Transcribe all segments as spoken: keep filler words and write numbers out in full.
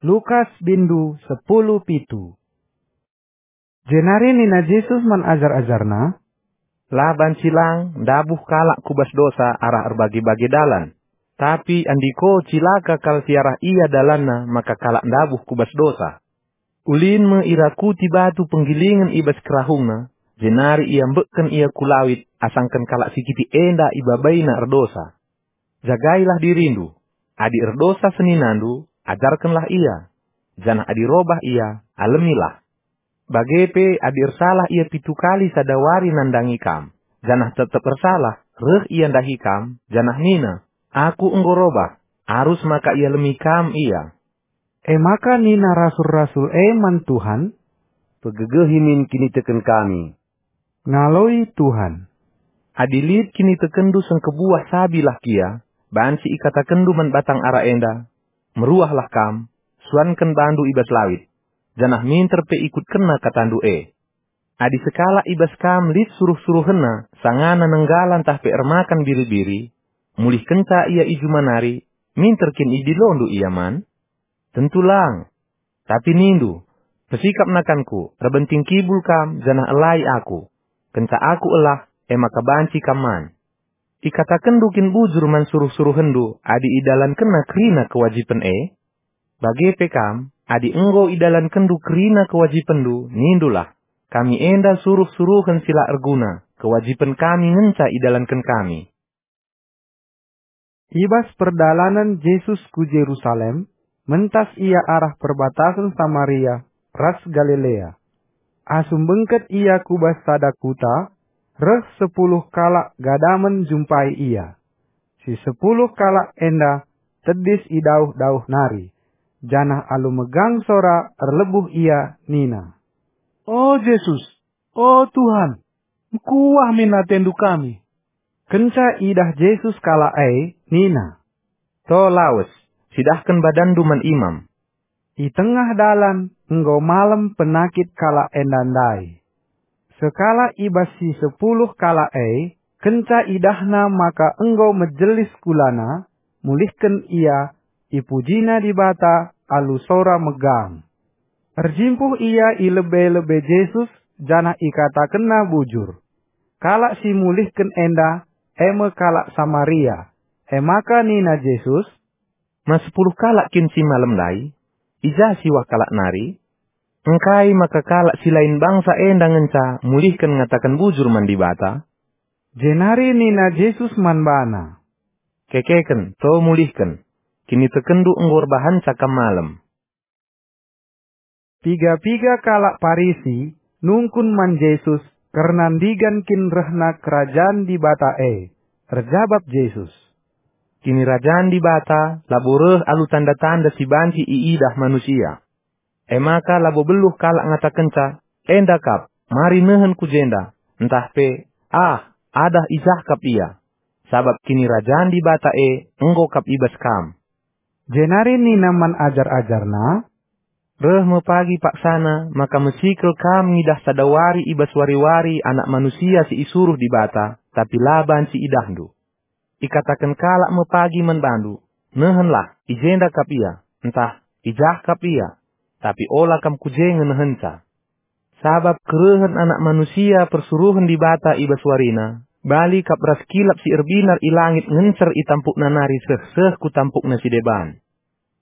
Lukas bindu sepuluh pitu. Jenari nina Jesus man ajar-ajarNa, "La banci lang ndabuh kalak ku bas dosa arah erbage-bage dalan, tapi andiko cilaka kal si arah ia dalanna maka kalak ndabuh ku bas dosa. Ulin me irakuti batu penggilingen i bas kerahungna, jenari iambekken ia ku lawit asangken kalak si kitik enda ibabaina erdosa. Jagailah dirindu. Adi erdosa seninandu, ajarkenlah ia. Janah adi robah ia, alemilah. Bage pe adi ersalah ia pitu kali sada wari nandangi kam, janah tep-tep ersalah, reh ia ndahi kam, janah nina, 'Aku enggo robah,' arus maka ialemi kam ia." E maka nina rasul-rasul e man Tuhan, "Pegegehi min kiniteken kami." Ngaloi Tuhan, "Adi lit kinitekenndu sengkebuah sabilah kia, banci ikatakenndu man batang ara enda, 'Meruahlah kam, suanken bandu i bas lawit,' janah minter pe ikutkenna katandu e. Adi sekalak i bas kam lit suruh-suruhenna sangana nenggala ntah pe ermakan biri-biri, mulihkenca ia i juma nari, minter kin idilondu ia man? Tentu lang! Tapi nindu, 'Pesikap nakanku, erbenting kibul kam janah elai aku. Kenca aku elah, e maka banci kam man.' Ikatakenndu kin bujur man suruh-suruhenndu adi idalankenna kerina kewajipen e? Bage pe kam, adi enggo idalankenndu kerina kewajipenndu, nindulah, 'Kami enda suruh-suruhen si la erguna, kewajipen kami ngenca idalanken kami.'" I bas perdalanen Jesus ku Jerusalem, mentas ia arah perbatasen Samaria ras Galilea. Asum bengket ia ku bas sada kuta, reh sepuluh kalak gadamen njumpai ia. Si sepuluh kalak enda tedis i dauh-dauh nari, janah alu megang sora erlebuh ia nina, "O Jesus, o Tuhan, mekuah min atendu kami." Kenca idah Jesus kalak e, nina, "To lawes, cidahken badanndu man imam." I tengah dalan enggo malem penakit kalak enda ndai. Sekalak i bas si sepuluh kalak e, kenca idahna maka enggo mejelis kulana, mulihken ia, ipujina Dibata alu sora megang. Erjimpuh ia i lebe-lebe Jesus janah ikatakenna bujur. Kalak si mulihken enda e me kalak Samaria. E maka nina Jesus, "Ma sepuluh kalak kin si malem ndai? I ja siwah kalak nari? Engkai maka kalak si lain bangsa enda ngenca mulihken ngataken bujur man Dibata?" Jenari nina Jesus man bana, "Kekeken, to mulihken. Kinitekenndu enggo erbahanca kam malem." Piga-piga kalak Parisi nungkun man Jesus kerna ndigan kin rehna Kerajan Dibata e. Erjabap Jesus, "Kinirajan Dibata labo reh alu tanda-tanda si banci iidah manusia. E maka labo beluh kalak ngatakenca, 'Enda kap, mari nehen ku jenda,' ntah pe, 'Ah, adah i jah kap ia,' sabap Kinirajan Dibata e enggo kap i bas kam." Jenari nina man ajar-ajarNa, "Reh me pagi paksana maka mesikel kam ngidah sada wari i bas wari-wari Anak Manusia si isuruh Dibata, tapi la banci idahndu. Ikataken kalak me pagi man bandu, 'Nehenlah, i jenda kap ia,' ntah, 'I jah kap ia,' tapi ola kam ku je nge nehenca. Sabap kerehen Anak Manusia persuruhen Dibata i bas warina, bali kap ras kilap si erbinar i langit ngencer i tampukna nari seh-seh ku tampukna si deban.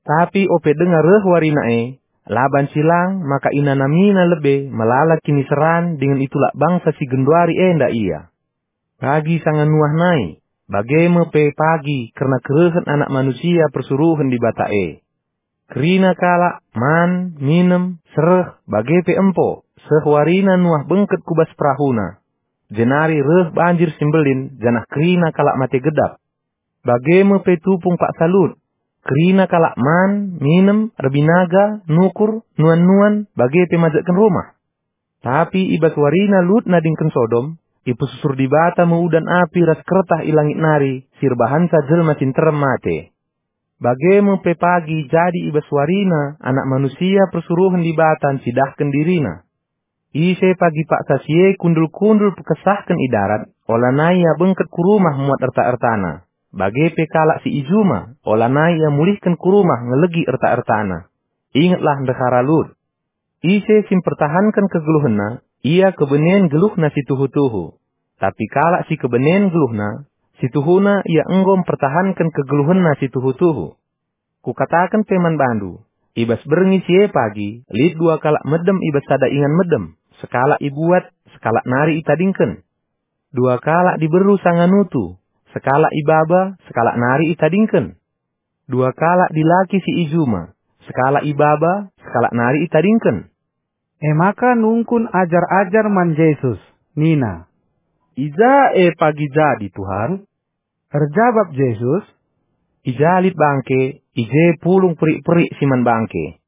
Tapi ope denga reh warina e, la banci lang maka inanamina lebe melala kiniseran dingen itulak bangsa si genduari enda ia. Pagi sanga Nuah nai, bage me pe pagi kerna kerehen Anak Manusia persuruhen Dibata e. Kerina kalak man, minem, sereh, bage pe empo, seh warina Nuah bengket ku bas perahuna. Jenari reh banjir si mbelin, janah kerina kalak mate gedap. Bage me pe tupung paksa Lut. Kerina kalak man, minem, erbinaga, nukur, nuan-nuan, bage pe majekken rumah. Tapi i bas warina Lut nadingken Sodom, ipesusur Dibata me udan api ras kertah i langit nari si erbahanca jelma si nterem mate. Bage me pe pagi jadi i bas warina Anak Manusia persuruhen Dibata ncidahken diriNa. Ise pagi paksa si e kundul-kundul pekesahken i darat, olanai ia bengket ku rumah muat erta-ertana. Bage pe kalak si i juma, olanai ia mulihken ku rumah ngelegi erta-ertana. Ingetlah ndehara Lut. Ise si mpertahanken kegeluhenna, ia kebenen geluhna si tuhu-tuhu. Tapi kalak si kebenen geluhna, si tuhuna ia enggo mpertahanken kegeluhenna si tuhu-tuhu. Kukataken pe man bandu, i bas berngi si e pagi lit dua kalak medem i bas sada ingan medem, sekalak ibuat, sekalak nari itadingken. Dua kalak diberu sanga nutu, sekalak ibaba, sekalak nari itadingken. Dua kalak dilaki si i juma, sekalak ibaba, sekalak nari itadingken. E maka nungkun ajar-ajar man Jesus, nina, "I ja e pagi jadi, Tuhan?" Erjabap Jesus, "I ja lit bangke, i je pulung perik-perik si man bangke.